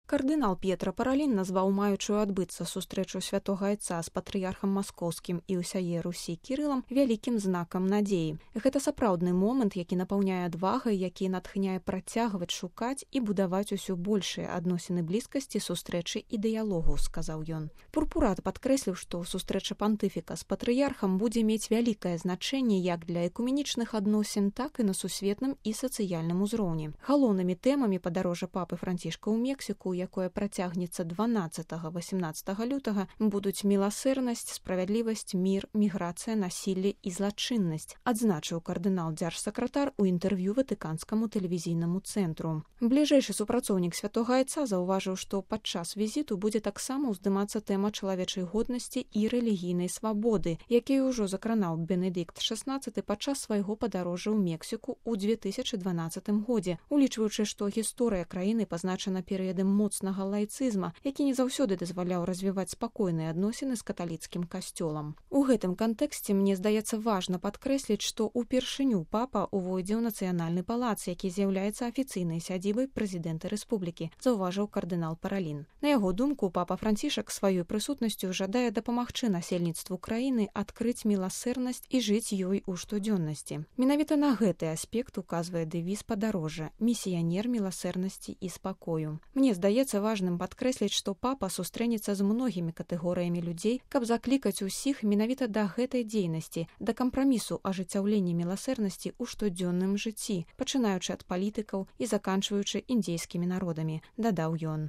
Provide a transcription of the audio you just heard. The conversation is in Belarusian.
Кардынал П'етра Паралін назваў маючую адбыцца сустрэчу святога айца з патрыярхам маскоўскім і ўсяе Русі Кірылам вялікім знакам надзеі. Гэта сапраўдны момант, які напаўняе адвагай, які натхняе працягваць шукаць і будаваць усё большыя адносіны блізкасці, сустрэчы і дыялогу, сказаў ён. Пурпурат падкрэсліў, што сустрэча пантыфіка з патрыярхам будзе мець вялікае значэнне як для экуменічных адносін, так і на сусветным і сацыяльным узроўні. Галоўнымі тэмамі падарожжа папы Францішка ў Мексіку, якое працягнецца 12-18 лютага, будуць міласэрнасць, справядлівасць, мір, міграцыя, насілле і злачыннасць, адзначыў кардынал дзяржсакратар у інтэрв'ю ватыканскаму тэлевізійнаму цэнтру. Бліжэйшы супрацоўнік святога айца заўважыў, што падчас візіту будзе таксама ўздымацца тэма чалавечай годнасці і рэлігійнай свабоды, якія ўжо закранаў Бенедыкт XVI падчас свайго падарожжа ў Мексіку ў 2012 годзе, улічваючы, што гісторыя краіны пазначана перыядам моцнага лайцызма, які не заўсёды дазваляў развіваць спакойныя адносіны з каталіцкім касцёлам. У гэтым кантэксце мне здаецца важна падкрэсліць, што ўпершыню папа увойдзе ў нацыянальны палац, які з'яўляецца афіцыйнай сядзібай прэзідэнта рэспублікі, заўважыў кардынал Паралін. На яго думку, папа Францішак сваёй прысутнасцю жадае дапамагчы насельніцтву краіны адкрыць міласэрнасць і жыць ёй у штодзённасці. Менавіта на гэты аспект указвае дэвіз падарожжа «Місіянер міласэрнасці і спакою». Мне здаецца важным падкрэсліць, што папа сустрэнецца з многімі катэгорыямі людзей, каб заклікаць усіх менавіта да гэтай дзейнасці, да кампрамісу ажыццяўлення міласэрнасці ў штодзённым жыцці, пачынаючы ад палітыкаў і заканчваючы індзейскімі народамі, дадаў ён.